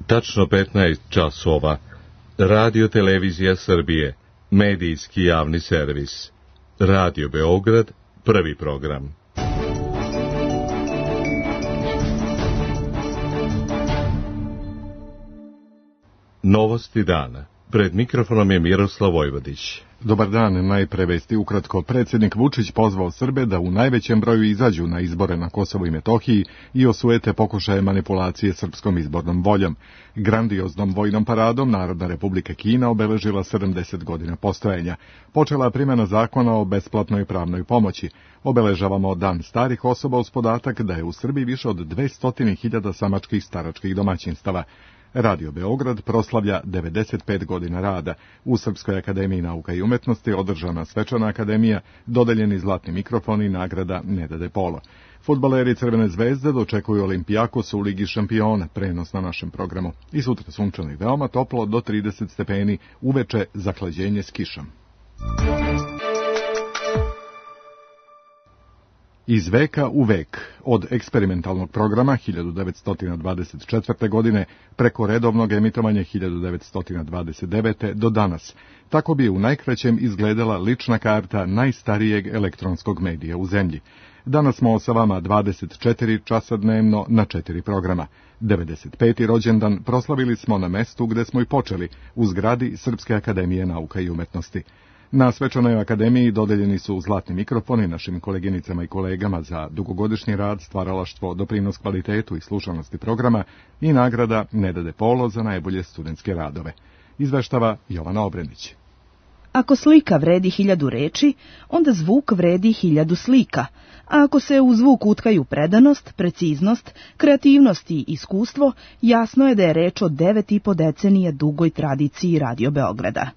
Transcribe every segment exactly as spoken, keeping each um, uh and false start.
Tačno petnaest časova. Radio Televizija Srbije, medijski javni servis. Radio Beograd, prvi program. Novosti dana. Pred mikrofonom je Miroslav Vojvodić. Dobar dan, najpre vesti ukratko. Predsjednik Vučić pozvao Srbe da u najvećem broju izađu na izbore na Kosovu i Metohiji i osujete pokušaje manipulacije srpskom izbornom voljom. Grandioznom vojnom paradom Narodna Republika Kina obeležila sedamdeset godina postojanja. Počela primjena zakona o besplatnoj pravnoj pomoći. Obeležavamo Dan starih osoba uz podatak da je u Srbiji više od dvesta hiljada samačkih staračkih domaćinstava. Radio Beograd proslavlja devedeset pet godina rada. U Srpskoj akademiji nauka i umetnosti održana svečana akademija, dodeljeni zlatni mikrofon i nagrada Neda de Polo. Fudbaleri Crvene zvezde dočekuju Olimpijakos u Ligi šampiona, prenos na našem programu. I sutra sunčano i veoma toplo do trideset stepeni, uveče zahlađenje s kišom. Iz veka u vek, od eksperimentalnog programa hiljadu devetsto dvadeset četvrte. godine preko redovnog emitovanja hiljadu devetsto dvadeset devete. do danas. Tako bi u najkraćem izgledala lična karta najstarijeg elektronskog medija u zemlji. Danas smo sa vama dvadeset četiri časa dnevno na četiri programa. devedeset peti rođendan proslavili smo na mestu gde smo i počeli, u zgradi Srpske akademije nauka i umetnosti. Na svečanoj akademiji dodeljeni su zlatni mikrofoni našim koleginicama i kolegama za dugogodišnji rad, stvaralaštvo, doprinos kvalitetu i slušanosti programa i nagrada Neda de Polo za najbolje studentske radove. Izveštava Jovana Obrenić. Ako slika vredi hiljadu reči, onda zvuk vredi hiljadu slika, a ako se u zvuk utkaju predanost, preciznost, kreativnost i iskustvo, jasno je da je reč o devet i po decenija dugoj tradiciji Radio Beograda.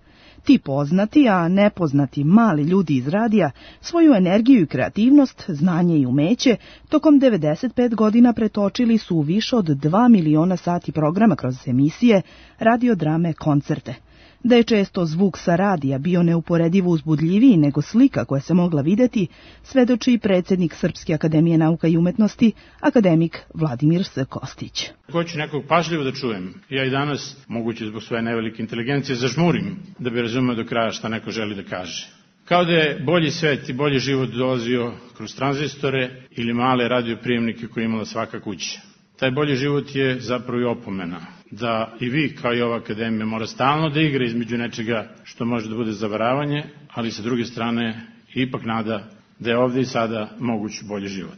Ti poznati, a nepoznati mali ljudi iz radija svoju energiju i kreativnost, znanje i umeće tokom devedeset pet godina pretočili su u više od dva miliona sati programa kroz emisije, radiodrame, koncerte. Da je često zvuk sa radija bio neuporedivo uzbudljiviji nego slika koja se mogla videti, svedoči i predsjednik Srpske akademije nauka i umetnosti, akademik Vladimir S. Kostić. Hoću nekog pažljivo da čujem. Ja i danas, moguće zbog svoje nevelike inteligencije, zažmurim da bi razumeo do kraja šta neko želi da kaže. Kao da je bolji svet i bolji život dolazio kroz tranzistore ili male radioprijemnike koje imala svaka kuća. Taj bolji život je zapravo i opomena da i vi, kao i ova akademija, mora stalno da igra između nečega što može da bude zavaravanje, ali sa druge strane ipak nada da je ovdje i sada moguć bolji život.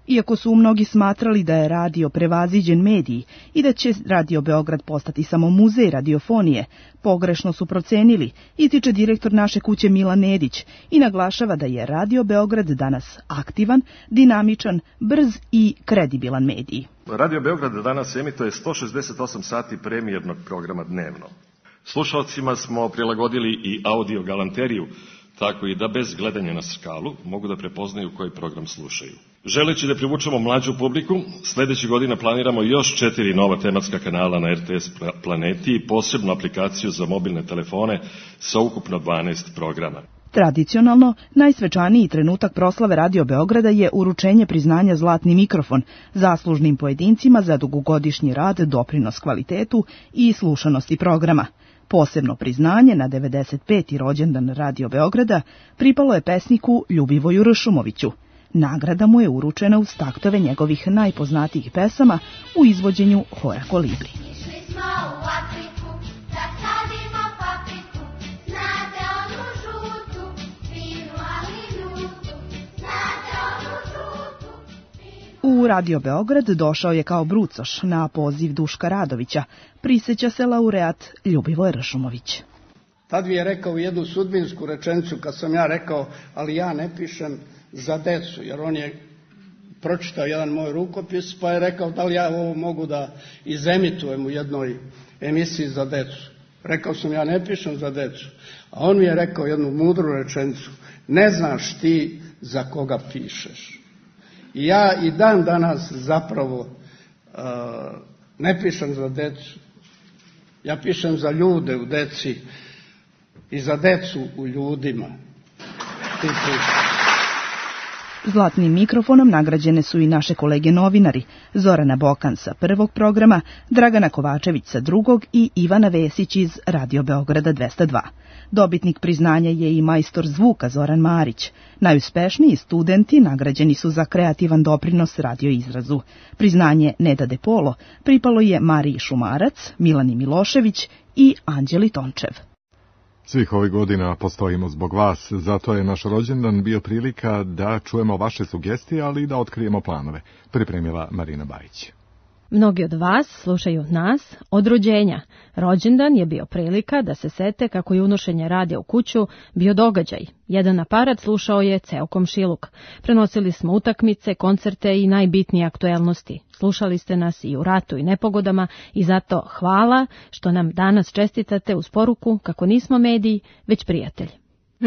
Iako su mnogi smatrali da je radio prevaziđen medij i da će Radio Beograd postati samo muzej radiofonije, pogrešno su procenili, ističe direktor naše kuće Milan Nedić i naglašava da je Radio Beograd danas aktivan, dinamičan, brz i kredibilan medij. Radio Beograd danas emituje sto šezdeset osam sati premijernog programa dnevno. Slušalcima smo prilagodili i audio galanteriju, tako i da bez gledanja na skalu mogu da prepoznaju koji program slušaju. Želeći da privučemo mlađu publiku, sljedećih godina planiramo još četiri nova tematska kanala na R T S Planeti i posebnu aplikaciju za mobilne telefone sa ukupno dvanaest programa. Tradicionalno, najsvečaniji trenutak proslave Radio Beograda je uručenje priznanja Zlatni mikrofon zaslužnim pojedincima za dugogodišnji rad, doprinos kvalitetu i slušanosti programa. Posebno priznanje na devedeset peti rođendan Radio Beograda pripalo je pesniku Ljubivoju Ršumoviću. Nagrada mu je uručena uz taktove njegovih najpoznatijih pesama u izvođenju Hora Kolibri. U Radio Beograd došao je kao brucoš na poziv Duška Radovića, prisjeća se laureat Ljubivoj Ršumović. Tad mi je rekao jednu sudbinsku rečenicu kad sam ja rekao, ali ja ne pišem za decu, jer on je pročitao jedan moj rukopis, pa je rekao da li ja ovo mogu da izemitujem u jednoj emisiji za decu. Rekao sam, ja ne pišem za decu. A on mi je rekao jednu mudru rečenicu, ne znaš ti za koga pišeš. I ja i dan danas zapravo uh, ne pišem za decu. Ja pišem za ljude u deci i za decu u ljudima. Zlatnim mikrofonom nagrađene su i naše kolege novinari, Zorana Bokan sa prvog programa, Dragana Kovačević sa drugog i Ivana Vesić iz Radio Beograda dvesta dva. Dobitnik priznanja je i majstor zvuka Zoran Marić. Najuspešniji studenti nagrađeni su za kreativan doprinos radioizrazu. Priznanje Neda De Polo pripalo je Mariji Šumarac, Milani Milošević i Anđeli Tončev. Svih ovih godina postojimo zbog vas, zato je naš rođendan bio prilika da čujemo vaše sugestije, ali i da otkrijemo planove, pripremila Marina Bajić. Mnogi od vas slušaju nas od rođenja. Rođendan je bio prilika da se sete kako je unošenje radija u kuću bio događaj. Jedan aparat slušao je ceo komšiluk. Prenosili smo utakmice, koncerte i najbitnije aktuelnosti. Slušali ste nas i u ratu i nepogodama i zato hvala što nam danas čestitate uz poruku kako nismo mediji, već prijatelji.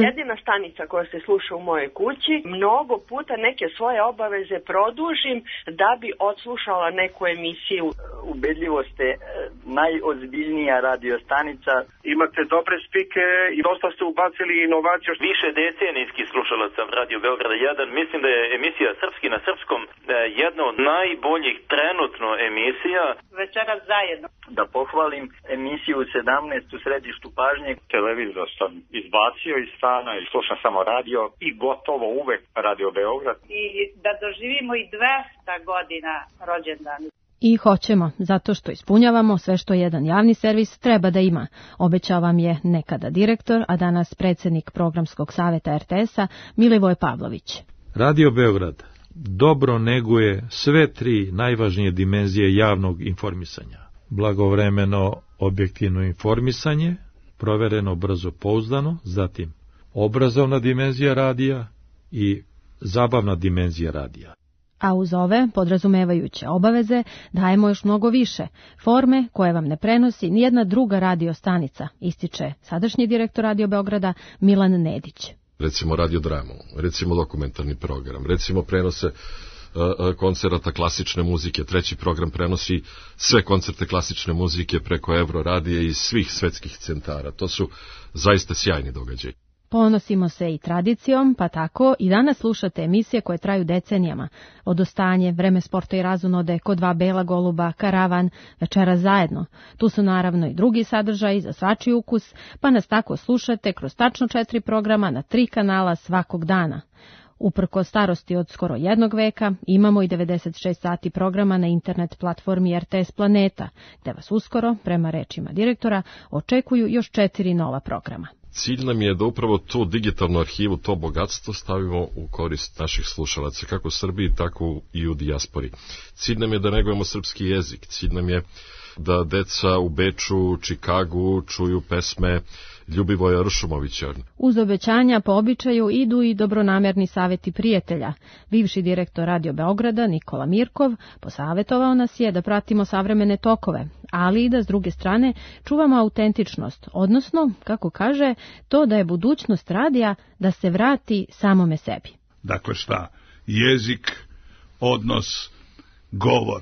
Jedina stanica koja se sluša u mojoj kući, mnogo puta neke svoje obaveze produžim da bi odslušala neku emisiju. Ubedljivo ste najozbiljnija radio stanica. Imate dobre spike i dosta ste ubacili inovaciju. Više decenijski slušalac sam Radio Beograda jedan. Mislim da je emisija Srpski na srpskom jedna od najboljih trenutno emisija. Večeras zajedno. Da pohvalim emisiju sedamnaest u središtu pažnje. Televizor sam izbacio iz stana i slušam samo radio i gotovo uvek Radio Beograd. I da doživimo i dvesta godina rođendan. I hoćemo, zato što ispunjavamo sve što jedan javni servis treba da ima. Obećao vam je nekada direktor, a danas predsjednik programskog saveta er te esa Milivoj Pavlović. Radio Beograd dobro neguje sve tri najvažnije dimenzije javnog informisanja. Blagovremeno objektivno informisanje, provereno brzo pouzdano, zatim obrazovna dimenzija radija i zabavna dimenzija radija. A uz ove, podrazumevajuće obaveze, dajemo još mnogo više, forme koje vam ne prenosi nijedna druga radio stanica, ističe sadašnji direktor Radio Beograda Milan Nedić. Recimo radiodramu, recimo dokumentarni program, recimo prenose uh, koncerata klasične muzike, treći program prenosi sve koncerte klasične muzike preko Euro radija iz svih svetskih centara. To su zaista sjajni događaji. Ponosimo se i tradicijom, pa tako i danas slušate emisije koje traju decenijama. Odostanje, Vreme sporta i razonode, Ko dva bela goluba, Karavan, Večeras zajedno. Tu su naravno i drugi sadržaji za svačiji ukus, pa nas tako slušate kroz tačno četiri programa na tri kanala svakog dana. Uprko starosti od skoro jednog veka, imamo i devedeset šest sati programa na internet platformi er te es Planeta, gde vas uskoro, prema rečima direktora, očekuju još četiri nova programa. Cilj nam je da upravo tu digitalnu arhivu, to bogatstvo stavimo u korist naših slušalaca, kako u Srbiji, tako i u dijaspori. Cilj nam je da negujemo srpski jezik, cilj nam je da deca u Beču, Čikagu čuju pesme Ljubivoja Ršumovića. Uz obećanja po običaju idu i dobronamerni saveti prijatelja. Bivši direktor Radio Beograda Nikola Mirkov posavetovao nas je da pratimo savremene tokove, ali i da s druge strane čuvamo autentičnost, odnosno, kako kaže, to da je budućnost radija da se vrati samome sebi. Dakle šta? Jezik, odnos, govor,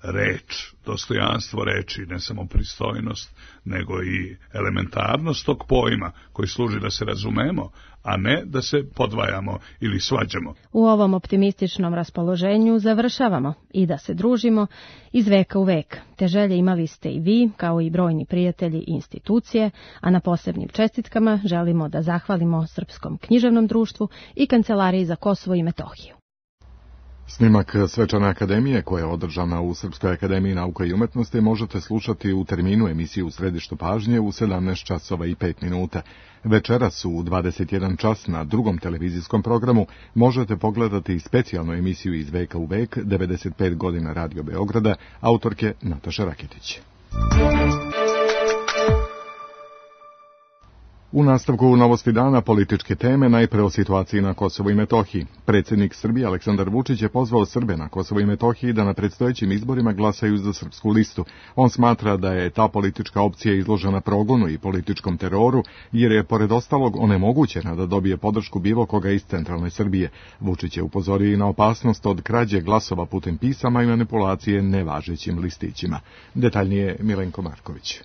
reč, dostojanstvo reči, ne samo pristojnost, nego i elementarnost tog pojma koji služi da se razumemo, a ne da se podvajamo ili svađamo. U ovom optimističnom raspoloženju završavamo i da se družimo iz veka u vek. Te želje imali ste i vi, kao i brojni prijatelji i institucije, a na posebnim čestitkama želimo da zahvalimo Srpskom književnom društvu i Kancelariji za Kosovo i Metohiju. Snimak Svečane akademije, koja je održana u Srpskoj akademiji nauka i umetnosti, možete slušati u terminu emisije U središtu pažnje u sedamnaest časova i pet minuta. Večeras u dvadeset jedan čas na drugom televizijskom programu možete pogledati specijalnu emisiju Iz veka u vek, devedeset pet godina Radio Beograda, autorke Nataše Raketić. U nastavku novosti dana političke teme, najpre o situaciji na Kosovu i Metohiji. Predsjednik Srbije Aleksandar Vučić je pozvao Srbe na Kosovu i Metohiji da na predstojećim izborima glasaju za srpsku listu. On smatra da je ta politička opcija izložena progonu i političkom teroru, jer je pored ostalog onemogućena da dobije podršku bilo koga iz centralne Srbije. Vučić je upozorio i na opasnost od krađe glasova putem pisama i manipulacije nevažećim listićima. Detaljnije Milenko Marković.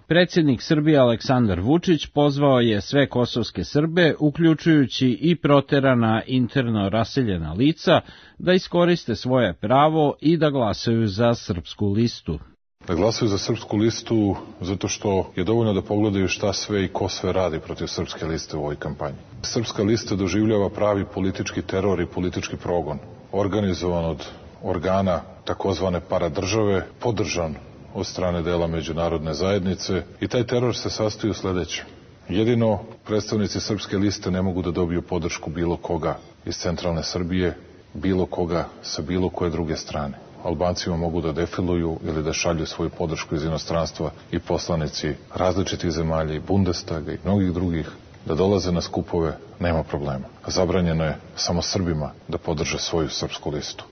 Predsjednik Srbije Aleksandar Vučić pozvao je sve kosovske Srbe, uključujući i proterana interno raseljena lica, da iskoriste svoje pravo i da glasaju za Srpsku listu. Da glasaju za Srpsku listu zato što je dovoljno da pogledaju šta sve i ko sve radi protiv Srpske liste u ovoj kampanji. Srpska lista doživljava pravi politički teror i politički progon, organizovan od organa takozvane paradržave, podržan od strane dela međunarodne zajednice i taj teror se sastoji u sledećem. Jedino predstavnici Srpske liste ne mogu da dobiju podršku bilo koga iz centralne Srbije, bilo koga sa bilo koje druge strane. Albancima mogu da defiluju ili da šalju svoju podršku iz inostranstva i poslanici različitih zemalja i Bundestaga i mnogih drugih da dolaze na skupove, nema problema. Zabranjeno je samo Srbima da podrže svoju Srpsku listu.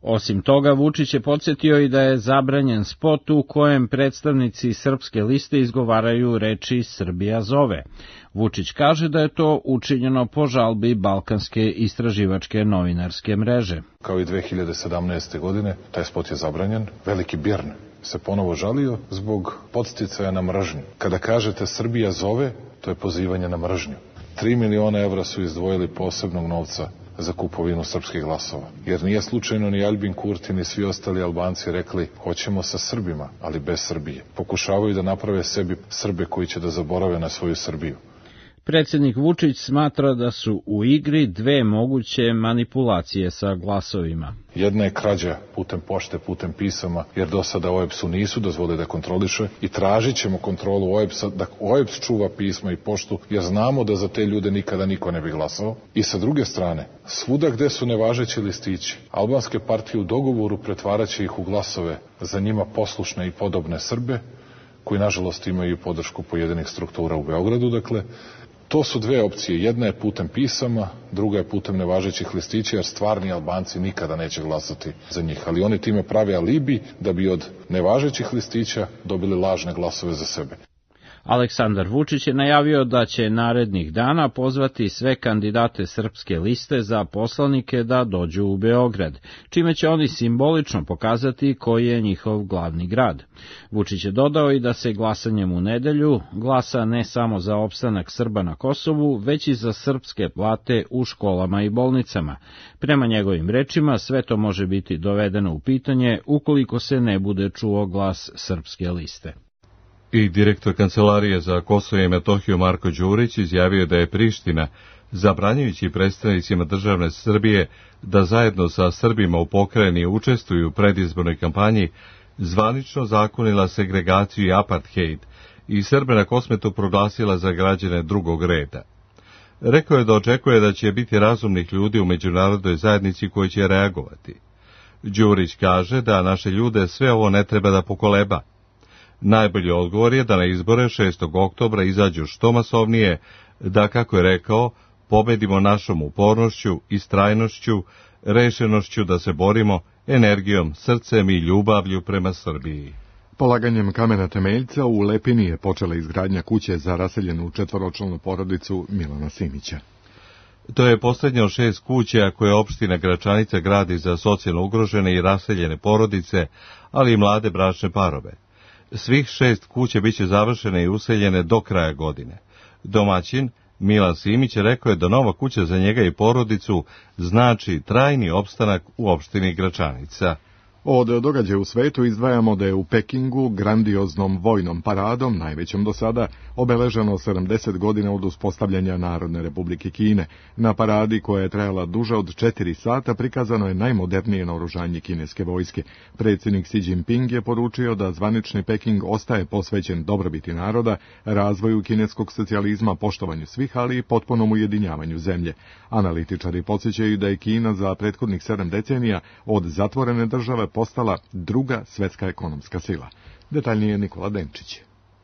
Osim toga, Vučić je podsjetio i da je zabranjen spot u kojem predstavnici Srpske liste izgovaraju reči Srbija zove. Vučić kaže da je to učinjeno po žalbi Balkanske istraživačke novinarske mreže. Kao i dve hiljade sedamnaeste. godine, taj spot je zabranjen. Veliki Bjorn se ponovo žalio zbog podsticaja na mržnju. Kada kažete Srbija zove, to je pozivanje na mržnju. Tri miliona evra su izdvojili posebnog novca za kupovinu srpskih glasova. Jer nije slučajno ni Albin Kurti ni svi ostali Albanci rekli hoćemo sa Srbima, ali bez Srbije. Pokušavaju da naprave sebi Srbe koji će da zaborave na svoju Srbiju. Predsjednik Vučić smatra da su u igri dve moguće manipulacije sa glasovima. Jedna je krađa putem pošte, putem pisama, jer do sada O E B S-u nisu dozvoli da kontroliše i tražit ćemo kontrolu O E B S-a, da O E B S čuva pisma i poštu, jer znamo da za te ljude nikada niko ne bi glasao. I sa druge strane, svuda gde su nevažeći listići, albanske partije u dogovoru pretvaraće ih u glasove za njima poslušne i podobne Srbe, koji nažalost imaju podršku pojedinih struktura u Beogradu, dakle, to su dve opcije. Jedna je putem pisama, druga je putem nevažećih listića, jer stvarni Albanci nikada neće glasati za njih. Ali oni time prave alibi da bi od nevažećih listića dobili lažne glasove za sebe. Aleksandar Vučić je najavio da će narednih dana pozvati sve kandidate Srpske liste za poslanike da dođu u Beograd, čime će oni simbolično pokazati koji je njihov glavni grad. Vučić je dodao i da se glasanjem u nedelju glasa ne samo za opstanak Srba na Kosovu, već i za srpske plate u školama i bolnicama. Prema njegovim rečima, sve to može biti dovedeno u pitanje ukoliko se ne bude čuo glas Srpske liste. I direktor Kancelarije za Kosovo i Metohiju Marko Đurić izjavio da je Priština, zabranjujući predstavnicima državne Srbije da zajedno sa Srbima u pokrajini učestvuju u predizbornoj kampanji, zvanično zakonila segregaciju i apartheid i Srbe na Kosmetu proglasila za građane drugog reda. Rekao je da očekuje da će biti razumnih ljudi u međunarodnoj zajednici koji će reagovati. Đurić kaže da naše ljude sve ovo ne treba da pokoleba. Najbolji odgovor je da na izbore šestog oktobra izađu što masovnije, da, kako je rekao, pobedimo našom upornošću, istrajnošću, rešenošću da se borimo, energijom, srcem i ljubavlju prema Srbiji. Polaganjem kamena temeljca u Lepini je počela izgradnja kuće za raseljenu četvoročlanu porodicu Milana Simića. To je posljednja od šest kuća koje opština Gračanica gradi za socijalno ugrožene i raseljene porodice, ali i mlade bračne parove. Svih šest kuće biće završene i useljene do kraja godine. Domaćin Milan Simić rekao je da nova kuća za njega i porodicu znači trajni opstanak u opštini Gračanica. Od događaja u svetu izdvajamo da je u Pekingu grandioznom vojnom paradom, najvećom do sada, obeleženo sedamdeset godina od uspostavljanja Narodne Republike Kine. Na paradi, koja je trajala duže od četiri sata, prikazano je najmodernije naoružanje kineske vojske. Predsjednik Xi Jinping je poručio da zvanični Peking ostaje posvećen dobrobiti naroda, razvoju kineskog socijalizma, poštovanju svih, ali i potpunom ujedinjavanju zemlje. Analitičari podsjećaju da je Kina za prethodnih sedam decenija od zatvorene države postala druga svetska ekonomska sila. Detaljnije Nikola Denčić.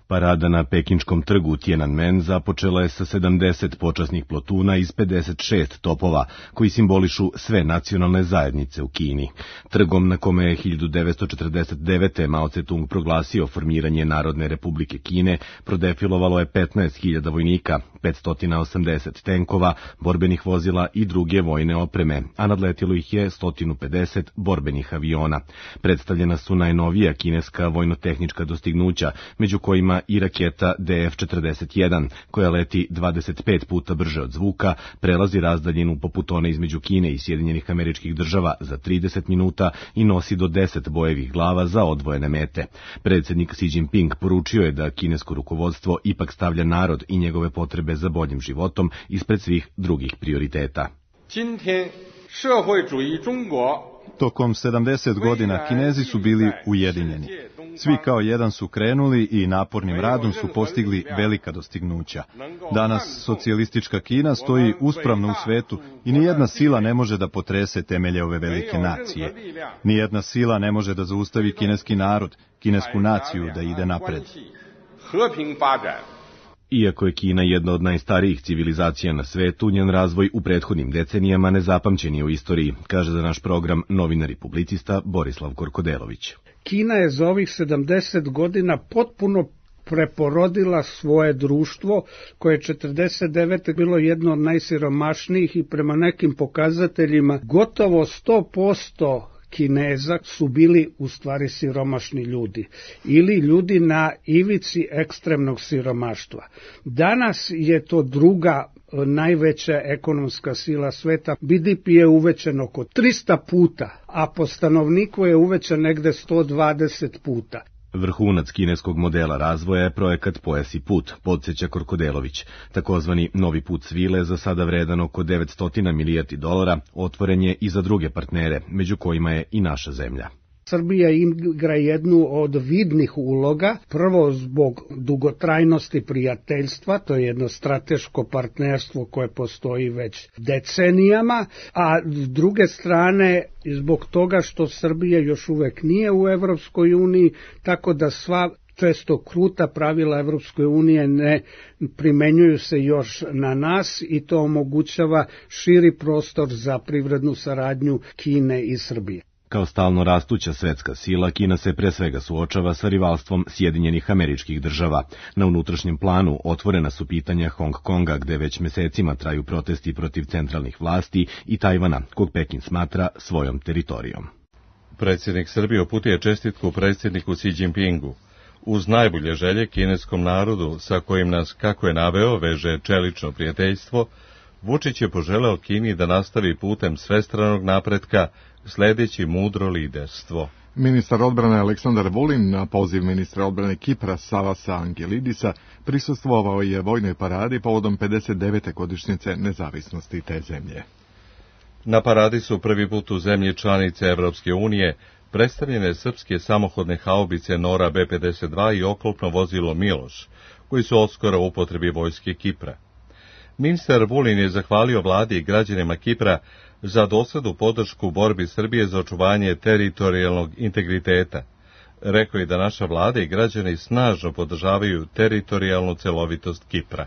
Parada na pekinškom trgu Tiananmen započela je sa sedamdeset počasnih plotuna iz pedeset šest topova, koji simbolišu sve nacionalne zajednice u Kini. Trgom na kome je hiljadu devetsto četrdeset devete. Mao Tse-tung proglasio formiranje Narodne Republike Kine, prodefilovalo je petnaest hiljada vojnika, petsto osamdeset tenkova, borbenih vozila i druge vojne opreme, a nadletilo ih je sto pedeset borbenih aviona. Predstavljena su najnovija kineska vojnotehnička dostignuća, među kojima Kina i raketa D F četrdeset jedan, koja leti dvadeset pet puta brže od zvuka, prelazi razdaljinu poput one između Kine i Sjedinjenih Američkih Država za trideset minuta i nosi do deset bojevih glava za odvojene mete. Predsjednik Xi Jinping poručio je da kinesko rukovodstvo ipak stavlja narod i njegove potrebe za boljim životom ispred svih drugih prioriteta. Tokom sedamdeset godina Kinezi su bili ujedinjeni. Svi kao jedan su krenuli i napornim radom su postigli velika dostignuća. Danas socijalistička Kina stoji uspravno u svetu i nijedna sila ne može da potrese temelje ove velike nacije. Nijedna sila ne može da zaustavi kineski narod, kinesku naciju da ide napred. Iako je Kina jedna od najstarijih civilizacija na svetu, njen razvoj u prethodnim decenijama nezapamćen je u istoriji, kaže za naš program novinar i publicista Borislav Korkodelović. Kina je za ovih sedamdeset godina potpuno preporodila svoje društvo, koje je četrdeset devete bilo jedno od najsiromašnijih i prema nekim pokazateljima gotovo sto posto Kineza su bili u stvari siromašni ljudi ili ljudi na ivici ekstremnog siromaštva. Danas je to druga najveća ekonomska sila sveta. B D P je uvećan oko trista puta, a po stanovniku je uvećan negde sto dvadeset puta. Vrhunac kineskog modela razvoja je projekat Pojas i put, podsjeća Korkodelović. Takozvani novi put svile, za sada vredan oko devetsto milijardi dolara, otvoren je i za druge partnere, među kojima je i naša zemlja. Srbija igra jednu od vidnih uloga, prvo zbog dugotrajnosti prijateljstva, to je jedno strateško partnerstvo koje postoji već decenijama, a s druge strane zbog toga što Srbija još uvek nije u Evropskoj uniji, tako da sva često kruta pravila Evropske unije ne primenjuju se još na nas i to omogućava širi prostor za privrednu saradnju Kine i Srbije. Kao stalno rastuća svetska sila, Kina se pre svega suočava sa rivalstvom Sjedinjenih Američkih Država. Na unutrašnjem planu otvorena su pitanja Hong Konga, gde već mesecima traju protesti protiv centralnih vlasti, i Tajvana, kog Pekin smatra svojom teritorijom. Predsjednik Srbije uputio je čestitku predsjedniku Xi Jinpingu. Uz najbolje želje kineskom narodu, sa kojim nas, kako je naveo, veže čelično prijateljstvo, Vučić je poželeo Kini da nastavi putem svestranog napretka, sledeći mudro liderstvo. Ministar odbrane Aleksandar Vulin na poziv ministra odbrane Kipra Savasa Angelidisa prisustvovao je vojnoj paradi povodom pedeset devete godišnjice nezavisnosti te zemlje. Na paradi su prvi put u zemlji članice Evropske unije predstavljene srpske samohodne haubice Nora B pedeset dva i oklopno vozilo Miloš, koji su odskoro u upotrebi vojske Kipra. Ministar Vulin je zahvalio vladi i građanima Kipra za doslednu podršku borbi Srbije za očuvanje teritorijalnog integriteta. Rekao je da naša vlada i građani snažno podržavaju teritorijalnu celovitost Kipra.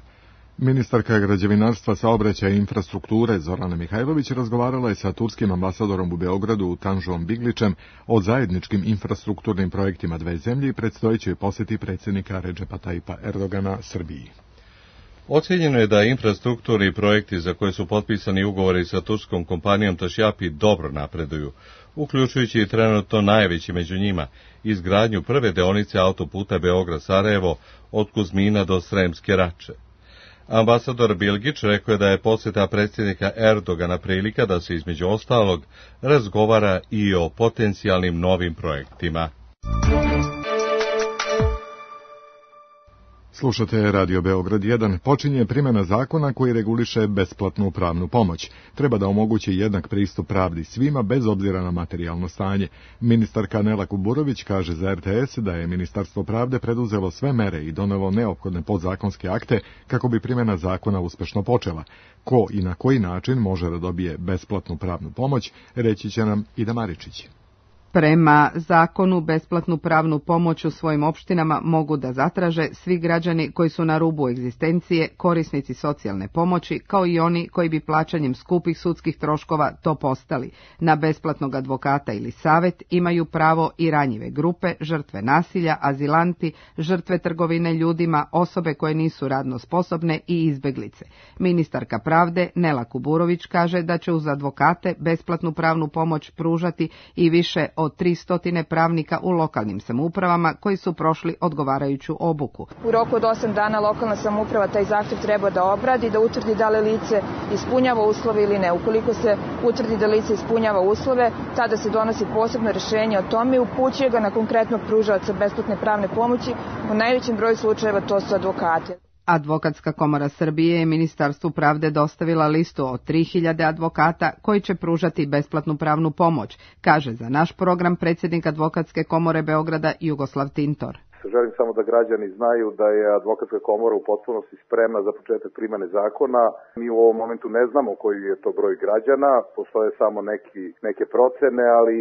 Ministarka građevinarstva, saobraćaja i infrastrukture Zorana Mihajlović razgovarala je sa turskim ambasadorom u Beogradu Tanžom Biglićem o zajedničkim infrastrukturnim projektima dve zemlje i predstojećoj poseti predsjednika Redžepa Tajipa Erdogana Srbiji. Ocjenjeno je da infrastrukturni projekti za koje su potpisani ugovori sa turskom kompanijom Tašjapi dobro napreduju, uključujući i trenutno najveći među njima, izgradnju prve deonice autoputa Beograd-Sarajevo od Kuzmina do Sremske Rače. Ambasador Bilgić rekao je da je posjeta predsjednika Erdogana prilika da se između ostalog razgovara i o potencijalnim novim projektima. Slušate Radio Beograd jedan. Počinje primjena zakona koji reguliše besplatnu pravnu pomoć. Treba da omogući jednak pristup pravdi svima bez obzira na materijalno stanje. Ministarka Nela Kuburović kaže za R T S da je Ministarstvo pravde preduzelo sve mere i donelo neophodne podzakonske akte kako bi primjena zakona uspešno počela. Ko i na koji način može da dobije besplatnu pravnu pomoć, reći će nam Ida Maričić. Prema zakonu, besplatnu pravnu pomoć u svojim opštinama mogu da zatraže svi građani koji su na rubu egzistencije, korisnici socijalne pomoći, kao i oni koji bi plaćanjem skupih sudskih troškova to postali. Na besplatnog advokata ili savet imaju pravo i ranjive grupe, žrtve nasilja, azilanti, žrtve trgovine ljudima, osobe koje nisu radno sposobne i izbeglice. Ministarka pravde Nela Kuburović kaže da će uz advokate besplatnu pravnu pomoć pružati i više od tristo pravnika u lokalnim samoupravama koji su prošli odgovarajuću obuku. U roku od osam dana lokalna samouprava taj zahtev treba da obradi, da utvrdi da li lice ispunjava uslove ili ne. Ukoliko se utvrdi da lice ispunjava uslove, tada se donosi posebno rešenje o tome i upućuje ga na konkretnog pružaoca besplatne pravne pomoći. U najvećem broju slučajeva to su advokati. Advokatska komora Srbije je Ministarstvu pravde dostavila listu od tri hiljade advokata koji će pružati besplatnu pravnu pomoć, kaže za naš program predsjednik Advokatske komore Beograda Jugoslav Tintor. Želim samo da građani znaju da je Advokatska komora u potpunosti spremna za početak primene zakona. Mi u ovom momentu ne znamo koji je to broj građana, postoje samo neki, neke procene, ali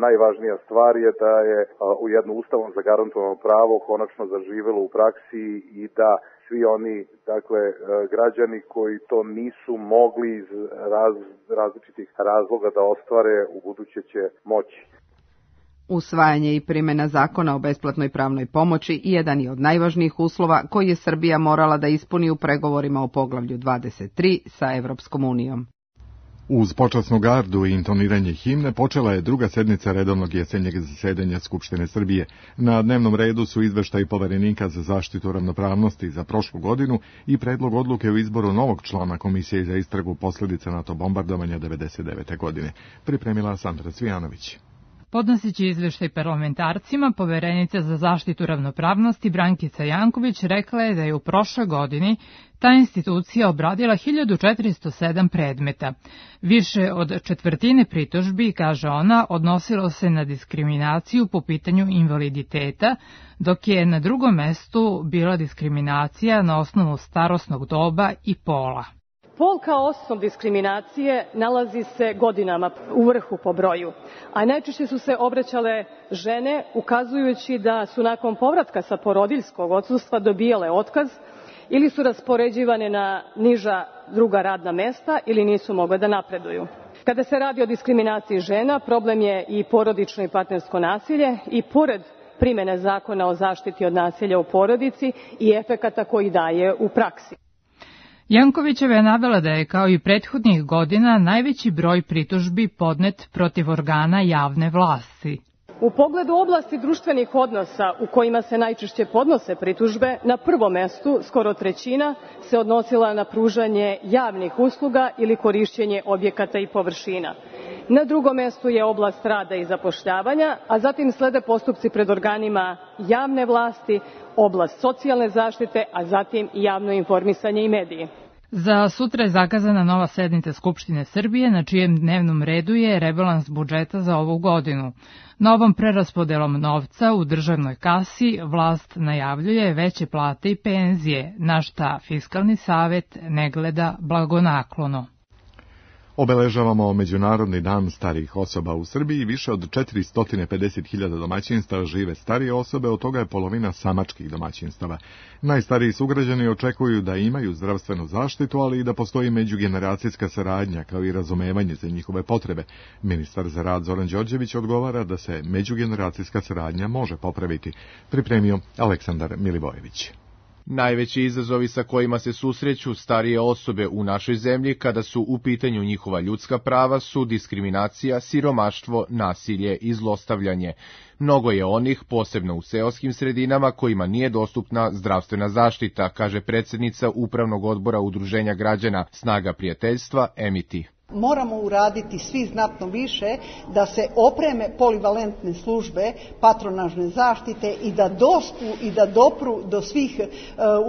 najvažnija stvar je da je u jedno ustavom zagarantovano pravo konačno zaživelo u praksi i da svi oni, dakle, građani koji to nisu mogli iz raz, različitih razloga da ostvare, u buduće će moći. Usvajanje i primjena zakona o besplatnoj pravnoj pomoći jedan je od najvažnijih uslova koji je Srbija morala da ispuni u pregovorima o poglavlju dvadeset tri sa Evropskom unijom. Uz počasnu gardu i intoniranje himne počela je druga sednica redovnog jesenjeg zasedanja Skupštine Srbije. Na dnevnom redu su izveštaj Poverenika za zaštitu ravnopravnosti za prošlu godinu i predlog odluke o izboru novog člana Komisije za istragu posljedica NATO bombardovanja devedeset devete. godine. Pripremila Sandra Cvijanović. Podnoseći izveštaj parlamentarcima, Poverenica za zaštitu ravnopravnosti Brankica Janković rekla je da je u prošloj godini ta institucija obradila hiljadu četiristo sedam predmeta. Više od četvrtine pritužbi, kaže ona, odnosilo se na diskriminaciju po pitanju invaliditeta, dok je na drugom mestu bila diskriminacija na osnovu starosnog doba i pola. Pol kao osnov diskriminacije nalazi se godinama u vrhu po broju, a najčešće su se obraćale žene ukazujući da su nakon povratka sa porodiljskog odsustva dobijale otkaz ili su raspoređivane na niža druga radna mesta ili nisu mogle da napreduju. Kada se radi o diskriminaciji žena, problem je i porodično i partnersko nasilje i pored primene zakona o zaštiti od nasilja u porodici i efekata koji daje u praksi. Jankovićeva je navela da je kao i prethodnih godina najveći broj pritužbi podnet protiv organa javne vlasti. U pogledu oblasti društvenih odnosa u kojima se najčešće podnose pritužbe, na prvom mestu, skoro trećina, se odnosila na pružanje javnih usluga ili korišćenje objekata i površina. Na drugom mestu je oblast rada i zapošljavanja, a zatim slede postupci pred organima javne vlasti, oblast socijalne zaštite, a zatim javno informisanje i mediji. Za sutra je zakazana nova sednica Skupštine Srbije, na čijem dnevnom redu je rebalans budžeta za ovu godinu. Novom preraspodelom novca u državnoj kasi vlast najavljuje veće plate i penzije, na šta Fiskalni savet ne gleda blagonaklono. Obeležavamo Međunarodni dan starijih osoba u Srbiji. Više od četiristo pedeset hiljada domaćinstava žive starije osobe, od toga je polovina samačkih domaćinstava. Najstariji sugrađani očekuju da imaju zdravstvenu zaštitu, ali i da postoji međugeneracijska saradnja, kao i razumevanje za njihove potrebe. Ministar za rad Zoran Đorđević odgovara da se međugeneracijska saradnja može popraviti. Pripremio Aleksandar Milivojević. Najveći izazovi sa kojima se susreću starije osobe u našoj zemlji kada su u pitanju njihova ljudska prava su diskriminacija, siromaštvo, nasilje i zlostavljanje. Mnogo je onih, posebno u seoskim sredinama, kojima nije dostupna zdravstvena zaštita, kaže predsjednica Upravnog odbora Udruženja građana Snaga prijateljstva Emiti. Moramo uraditi svi znatno više da se opreme polivalentne službe patronažne zaštite i da dospu i da dopru do svih uh,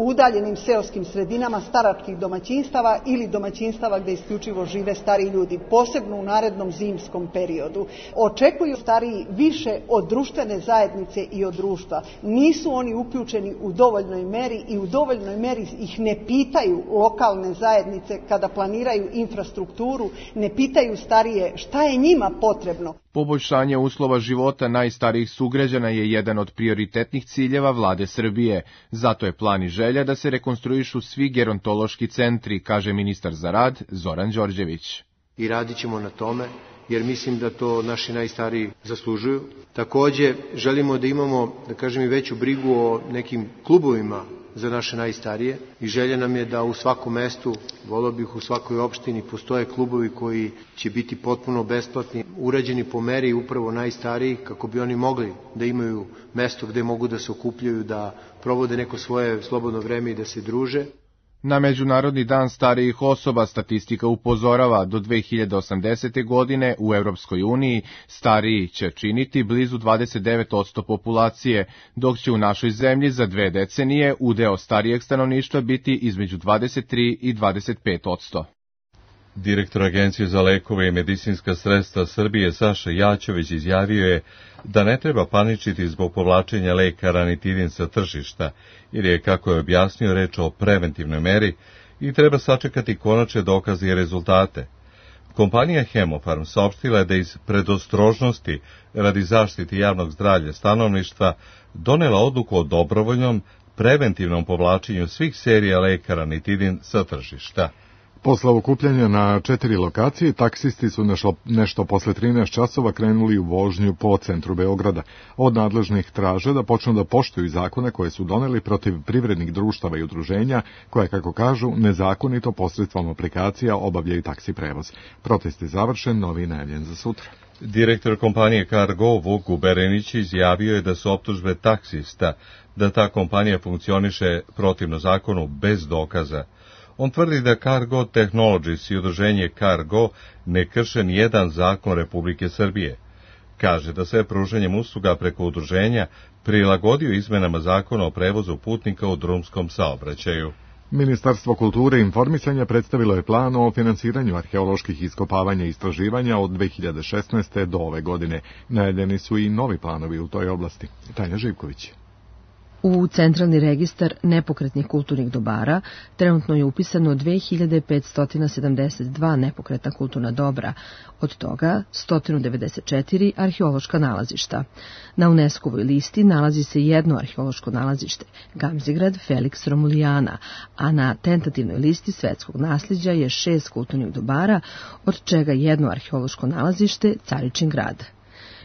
udaljenim seoskim sredinama staračkih domaćinstava ili domaćinstava gdje isključivo žive stariji ljudi, posebno u narednom zimskom periodu. Očekuju stariji više od društvene zajednice i od društva. Nisu oni uključeni u dovoljnoj meri i u dovoljnoj meri ih ne pitaju lokalne zajednice kada planiraju infrastrukturu, ne pitaju starije šta je njima potrebno. Poboljšanje uslova života najstarijih sugrađana je jedan od prioritetnih ciljeva vlade Srbije. Zato je plan i želja da se rekonstruišu svi gerontološki centri, kaže ministar za rad Zoran Đorđević. I radit ćemo na tome, jer mislim da to naši najstariji zaslužuju. Takođe, želimo da imamo, da kažem, i veću brigu o nekim klubovima za naše najstarije i želja nam je da u svakom mestu, volio bih u svakoj opštini, postoje klubovi koji će biti potpuno besplatni, urađeni po meri upravo najstarijih, kako bi oni mogli da imaju mesto gde mogu da se okupljaju, da provode neko svoje slobodno vreme i da se druže. Na Međunarodni dan starijih osoba statistika upozorava do dve hiljade osamdesete. godine u Evropskoj uniji stariji će činiti blizu dvadeset devet posto populacije, dok će u našoj zemlji za dve decenije udeo starijeg stanovništva biti između dvadeset tri i dvadeset pet posto. Direktor Agencije za lekove i medicinska sredstva Srbije Saša Jaćović izjavio je da ne treba paničiti zbog povlačenja leka ranitidin sa tržišta, jer je, kako je objasnio, reč o preventivnoj meri i treba sačekati konačne dokaze i rezultate. Kompanija Hemofarm saopštila je da iz predostrožnosti radi zaštite javnog zdravlja stanovništva donela odluku o dobrovoljnom preventivnom povlačenju svih serija leka ranitidin sa tržišta. Posle okupljanja na četiri lokacije, taksisti su nešto, nešto posle trinaest časova krenuli u vožnju po centru Beograda. Od nadležnih traže da počnu da poštuju zakone koje su doneli protiv privrednih društava i udruženja, koje, kako kažu, nezakonito posredstvom aplikacija obavljaju taksi prevoz. Protest je završen, novi najavljen za sutra. Direktor kompanije Cargo Vuk Guberenić izjavio je da su optužbe taksista da ta kompanija funkcioniše protivno zakonu bez dokaza. On tvrdi da Cargo Technologies i udruženje Cargo ne krše nijedan zakon Republike Srbije. Kaže da se pružanjem usluga preko udruženja prilagodio izmenama zakona o prevozu putnika u drumskom saobraćaju. Ministarstvo kulture i informisanja predstavilo je plan o finansiranju arheoloških iskopavanja i istraživanja od dve hiljade šesnaeste. do ove godine. Najavljeni su i novi planovi u toj oblasti. Tanja Živković. U Centralni registar nepokretnih kulturnih dobara trenutno je upisano dve hiljade petsto sedamdeset dva nepokretna kulturna dobra, od toga sto devedeset četiri arheološka nalazišta. Na UNESCO-voj listi nalazi se jedno arheološko nalazište, Gamzigrad Felix Romulijana, a na tentativnoj listi svetskog nasljeđa je šest kulturnih dobara, od čega jedno arheološko nalazište Caričin grad.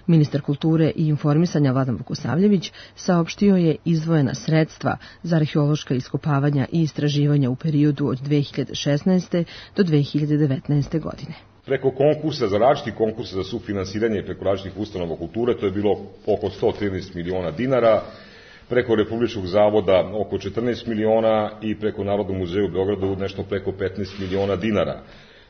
Ministar kulture i informisanja Vladan Vukosavljević saopštio je izdvojena sredstva za arheološka iskopavanja i istraživanja u periodu od dve hiljade šesnaeste. do dve hiljade devetnaeste. godine. Preko konkursa, za različiti konkursa za sufinansiranje preko različitih ustanova kulture, to je bilo oko sto trinaest miliona dinara, preko Republičkog zavoda oko četrnaest miliona i preko Narodnog muzeja u Beogradu nešto preko petnaest miliona dinara.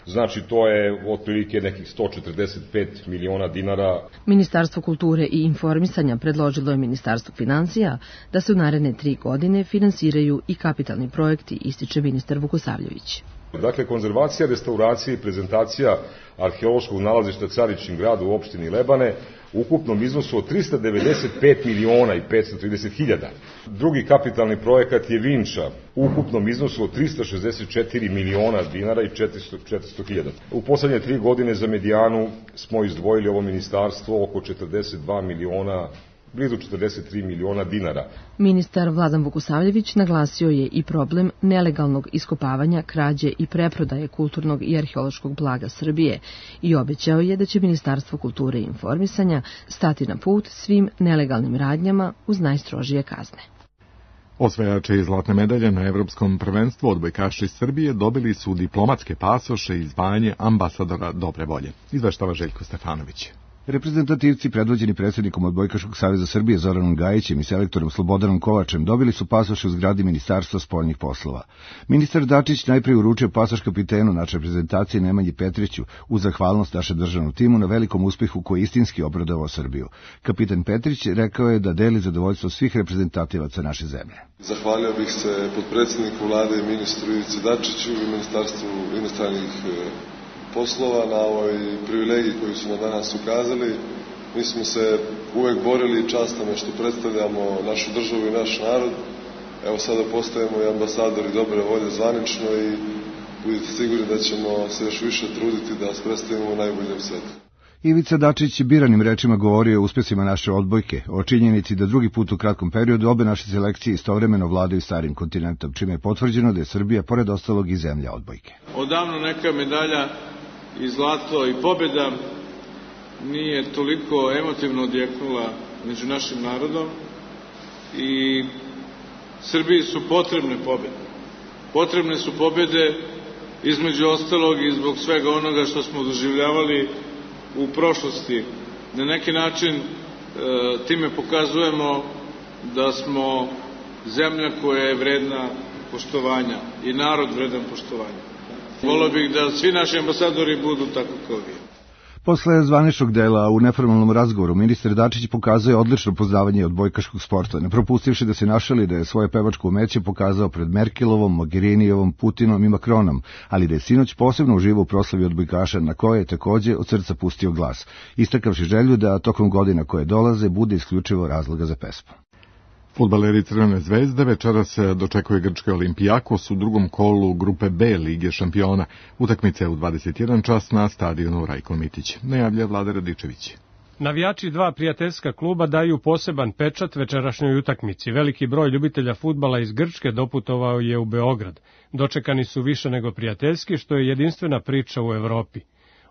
Znači, to je otprilike nekih sto četrdeset pet miliona dinara. Ministarstvo kulture i informisanja predložilo je Ministarstvu financija da se u naredne tri godine finansiraju i kapitalni projekti, ističe ministar Vukosavljević. Dakle, konzervacija, restauracija i prezentacija arheološkog nalazišta Caričin grad u opštini Lebane u ukupnom iznosu od trista devedeset pet miliona i petsto trideset hiljada. Drugi kapitalni projekat je Vinča u ukupnom iznosu od trista šezdeset četiri miliona dinara i četiristo hiljada. U poslednje tri godine za Medijanu smo izdvojili ovo ministarstvo oko četrdeset dva miliona, blizu četrdeset tri miliona dinara. Ministar Vladan Vukosavljević naglasio je i problem nelegalnog iskopavanja, krađe i preprodaje kulturnog i arheološkog blaga Srbije i obećao je da će Ministarstvo kulture i informisanja stati na put svim nelegalnim radnjama uz najstrožije kazne. Osvajači zlatne medalje na Evropskom prvenstvu odbojkaši Srbije dobili su diplomatske pasoše i zvanje ambasadora dobre volje. Izveštava Željko Stefanović. Reprezentativci predvođeni predsjednikom Odbojkaškog saveza Srbije Zoranom Gajićem i selektorom Slobodanom Kovačem dobili su pasoše u zgradi Ministarstva spoljnih poslova. Ministar Dačić najprije uručio pasoš kapitenu naše reprezentacije Nemanji Petriću uz zahvalnost našem državnom timu na velikom uspehu koji istinski obradovao Srbiju. Kapitan Petrić rekao je da deli zadovoljstvo svih reprezentativaca naše zemlje. Zahvalio bih se potpredsjedniku vlade i ministru Ivici Dačiću i Ministarstvu inostranih poslova na ovoj privilegiji koju su nam danas ukazali. Mi smo se uvek borili i čast nam je što predstavljamo našu državu i naš narod. Evo sada postajemo i ambasadori dobre volje zvanično i budite sigurni da ćemo se još više truditi da vas predstavimo u najboljem svetu. Ivica Dačić biranim rečima govorio o uspesima naše odbojke, o činjenici da drugi put u kratkom periodu obe naše selekcije istovremeno vladaju starim kontinentom, čime je potvrđeno da je Srbija pored ostalog i zemlja odbojke. Odavno neka medalja i zlato i pobjeda nije toliko emotivno odjeknula među našim narodom i Srbiji su potrebne pobjede. Potrebne su pobjede između ostalog i zbog svega onoga što smo doživljavali u prošlosti. Na neki način e, time pokazujemo da smo zemlja koja je vredna poštovanja i narod vredan poštovanja. Volio bih da svi naši ambasadori budu tako kao vi. Posle zvaničnog dela u neformalnom razgovoru, ministar Dačić pokazuje odlično poznavanje odbojkaškog sporta, ne propustivši da se našali da je svoje pevačko umeće pokazao pred Merkelovom, Mogherinijevom, Putinom i Makronom, ali da je sinoć posebno uživao u proslavi odbojkaša na koje je takođe od srca pustio glas, istakavši želju da tokom godina koje dolaze bude isključivo razloga za pesmu. Fudbaleri Crvene zvezde večeras dočekuje grčki Olimpijakos u drugom kolu grupe B Lige šampiona. Utakmice u dvadeset jedan čas na stadionu Rajko Mitić. Najavlja Vlada Radičević. Navijači dva prijateljska kluba daju poseban pečat večerašnjoj utakmici. Veliki broj ljubitelja fudbala iz Grčke doputovao je u Beograd. Dočekani su više nego prijateljski, što je jedinstvena priča u Evropi.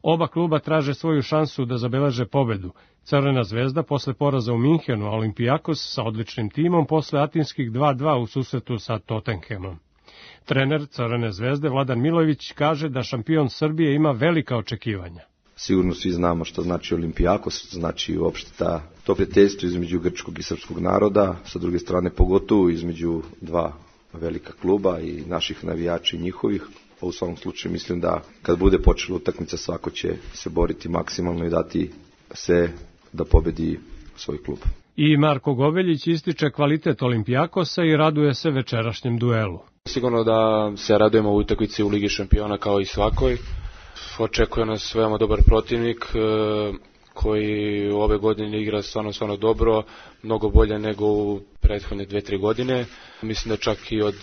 Oba kluba traže svoju šansu da zabeleže pobedu. Crvena zvezda posle poraza u Minhenu, a Olimpijakos sa odličnim timom posle atinskih dva dva u susretu sa Tottenhamom. Trener Crvene zvezde Vladan Milojević kaže da šampion Srbije ima velika očekivanja. Sigurno svi znamo što znači Olimpijakos, znači uopšte ta, to prijateljstvo između grčkog i srpskog naroda, sa druge strane pogotovo između dva velika kluba i naših navijača i njihovih. U svakom slučaju mislim da kad bude počela utakmica svako će se boriti maksimalno i dati sve da pobedi svoj klub. I Marko Gobeljić ističe kvalitet Olimpijakosa i raduje se večerašnjem duelu. Sigurno da se radujemo u utakmici u Ligi šampiona kao i svakoj. Očekuje nas veoma dobar protivnik koji u ove godine igra stvarno, stvarno dobro, mnogo bolje nego u prethodne dve, tri godine. Mislim da čak i od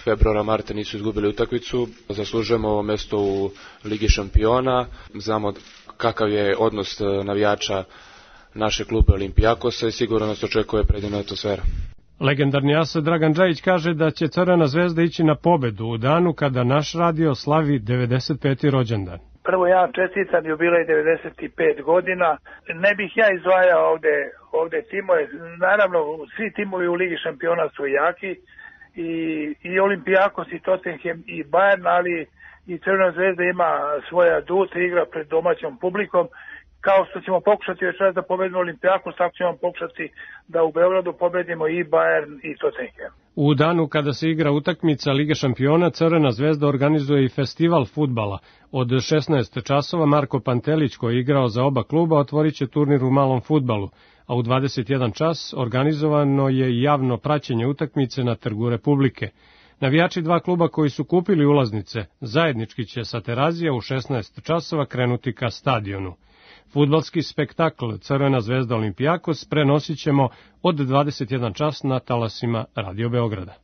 februara, marta nisu izgubili utakmicu. Zaslužujemo mesto u Ligi šampiona. Znamo kakav je odnos navijača naše klube Olimpijakosa i sigurno nas očekuje predivna atmosfera. Legendarni as Dragan Džajić kaže da će Crvena zvezda ići na pobedu u danu kada naš radio slavi devedeset peti rođendan. Prvo ja čestitam jubilej devedeset pet godina. Ne bih ja izdvajao ovde, ovde timove. Naravno, svi timovi u Ligi šampiona su jaki. I, i Olimpijakos, i Tottenham, i Bayern, ali i Crvena zvezda ima svoja adut, igra pred domaćom publikom. Kao što ćemo pokušati večeras da pobedimo Olimpijakos, tako ćemo pokušati da u Beogradu pobedimo i Bayern i Tottenham. U danu kada se igra utakmica Lige šampiona, Crvena zvezda organizuje i festival fudbala. Od šesnaest časova Marko Pantelić, koji je igrao za oba kluba, otvorit će turnir u malom fudbalu, a u dvadeset jedan čas organizovano je javno praćenje utakmice na Trgu Republike. Navijači dva kluba koji su kupili ulaznice zajednički će sa Terazija u šesnaest časova krenuti ka stadionu. Fudbalski spektakl Crvena zvezda Olimpijakos prenosit ćemo od dvadeset jedan čas na talasima Radio Beograda.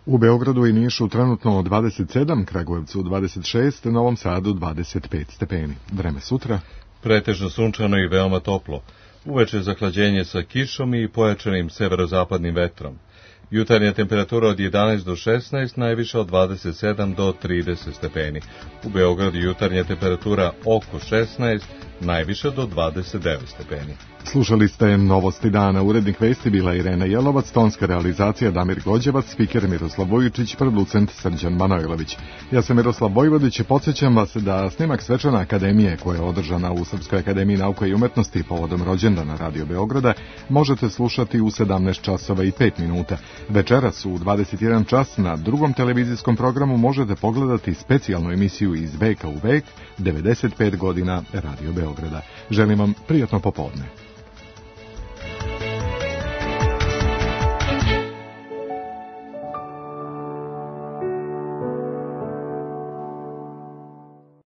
U Beogradu i Nišu trenutno dvadeset sedam, Kragujevcu dvadeset šest, Novom Sadu dvadeset pet stepeni. Vreme sutra? Pretežno sunčano i veoma toplo. Uveče zahlađenje sa kišom i pojačanim severozapadnim vetrom. Jutarnja temperatura od jedanaest do šesnaest, najviša od dvadeset sedam do trideset stepeni. U Beogradu jutarnja temperatura oko šesnaest, najviše do dvadeset devet stepeni. Slušali ste Novosti dana. Urednik vesti bila Irena Jelovac, tonska realizacija Damir Gođevac, spiker Miroslav Vujičić, producent Srđan Manojlović. Ja sam Miroslav Vojvodić i podsjećam vas da snimak svečane akademije koja je održana u Srpskoj akademiji nauka i umetnosti povodom rođendana Radio Beograda možete slušati u sedamnaest časova i pet minuta. Večeras u dvadeset jedan čas na drugom televizijskom programu možete pogledati specijalnu emisiju Iz veka u vek, devedeset pet godina Radio Beograda. Želim vam prijatno popodne.